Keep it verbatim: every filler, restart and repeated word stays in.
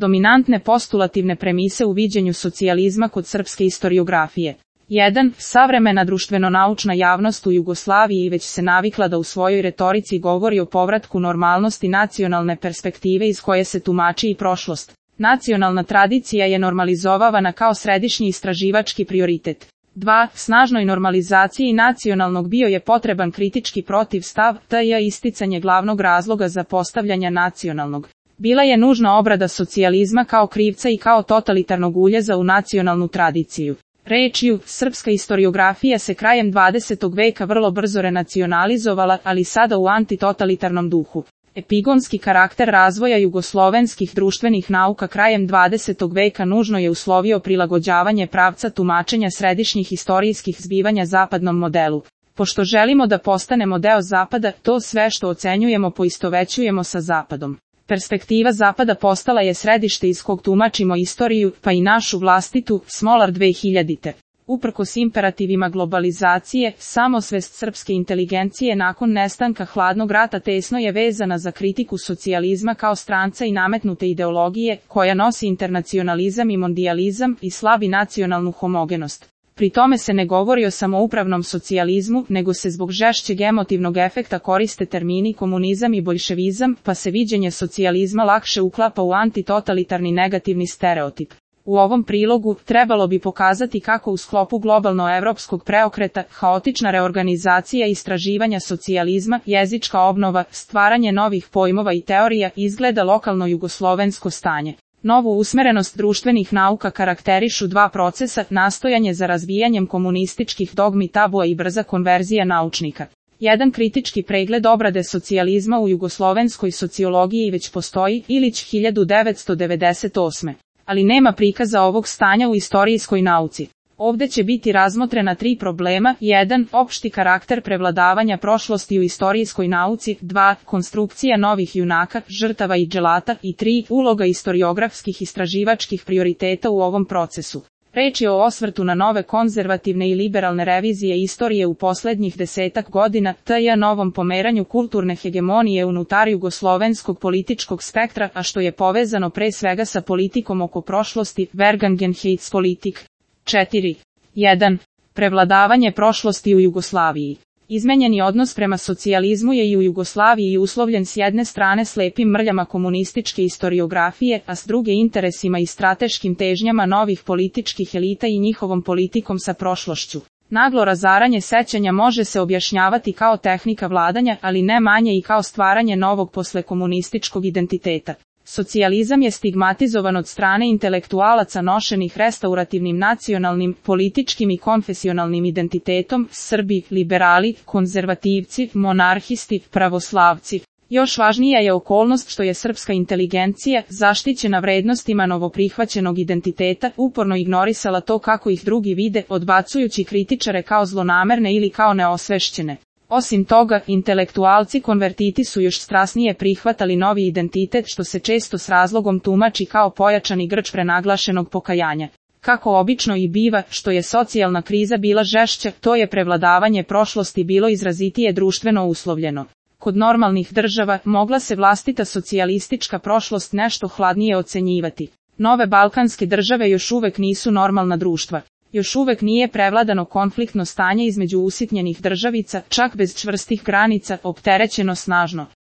Dominantne postulativne premise u viđenju socijalizma kod srpske istoriografije. jedan. Savremena društveno-naučna javnost u Jugoslaviji već se navikla da u svojoj retorici govori o povratku normalnosti nacionalne perspektive iz koje se tumači i prošlost. Nacionalna tradicija je normalizovana kao središnji istraživački prioritet. dva. Snažnoj normalizaciji nacionalnog bio je potreban kritički protivstav, te je isticanje glavnog razloga za postavljanje nacionalnog. Bila je nužna obrada socijalizma kao krivca i kao totalitarnog uljeza u nacionalnu tradiciju. Rečju, srpska istoriografija se krajem dvadesetog veka vrlo brzo renacionalizovala, ali sada u antitotalitarnom duhu. Epigonski karakter razvoja jugoslovenskih društvenih nauka krajem dvadesetog veka nužno je uslovio prilagođavanje pravca tumačenja središnjih istorijskih zbivanja zapadnom modelu. Pošto želimo da postanemo deo Zapada, to sve što ocenjujemo poistovećujemo sa Zapadom. Perspektiva Zapada postala je središte iz kog tumačimo istoriju, pa i našu vlastitu, Smolar dve hiljadite. Uprkos imperativima globalizacije, samosvest srpske inteligencije nakon nestanka hladnog rata tesno je vezana za kritiku socijalizma kao stranca i nametnute ideologije, koja nosi internacionalizam i mondijalizam i slabi nacionalnu homogenost. Pri tome se ne govori o samoupravnom socijalizmu, nego se zbog žešćeg emotivnog efekta koriste termini komunizam i boljševizam, pa se viđenje socijalizma lakše uklapa u antitotalitarni negativni stereotip. U ovom prilogu trebalo bi pokazati kako u sklopu globalno-evropskog preokreta, haotična reorganizacija istraživanja socijalizma, jezička obnova, stvaranje novih pojmova i teorija izgleda lokalno jugoslovensko stanje. Novu usmerenost društvenih nauka karakterišu dva procesa, nastojanje za razvijanjem komunističkih dogmi tabua i brza konverzija naučnika. Jedan kritički pregled obrade socijalizma u jugoslovenskoj sociologiji već postoji, Ilić hiljadu devetsto devedeset osme. Ali nema prikaza ovog stanja u istorijskoj nauci. Ovde će biti razmotrena tri problema, jedan. Opšti karakter prevladavanja prošlosti u istorijskoj nauci, dva. Konstrukcija novih junaka, žrtava i dželata i tri. Uloga istoriografskih istraživačkih prioriteta u ovom procesu. Reč je o osvrtu na nove konzervativne i liberalne revizije istorije u poslednjih desetak godina, te i novom pomeranju kulturne hegemonije unutar jugoslovenskog političkog spektra, a što je povezano pre svega sa politikom oko prošlosti, Vergangenheitspolitik. četiri. jedan. Prevladavanje prošlosti u Jugoslaviji. Izmenjeni odnos prema socijalizmu je i u Jugoslaviji uslovljen s jedne strane slepim mrljama komunističke istoriografije, a s druge interesima i strateškim težnjama novih političkih elita i njihovom politikom sa prošlošću. Naglo razaranje sećanja može se objašnjavati kao tehnika vladanja, ali ne manje i kao stvaranje novog poslekomunističkog identiteta. Socijalizam je stigmatizovan od strane intelektualaca nošenih restaurativnim nacionalnim, političkim i konfesionalnim identitetom, Srbi, liberali, konzervativci, monarhisti, pravoslavci. Još važnija je okolnost što je srpska inteligencija, zaštićena vrednostima novoprihvaćenog identiteta, uporno ignorisala to kako ih drugi vide, odbacujući kritičare kao zlonamerne ili kao neosvešćene. Osim toga, intelektualci konvertiti su još strasnije prihvatali novi identitet što se često s razlogom tumači kao pojačani grč prenaglašenog pokajanja. Kako obično i biva, što je socijalna kriza bila žešća, to je prevladavanje prošlosti bilo izrazitije društveno uslovljeno. Kod normalnih država mogla se vlastita socijalistička prošlost nešto hladnije ocenjivati. Nove balkanske države još uvek nisu normalna društva. Još uvek nije prevladano konfliktno stanje između usitnjenih državica, čak bez čvrstih granica, opterećeno snažno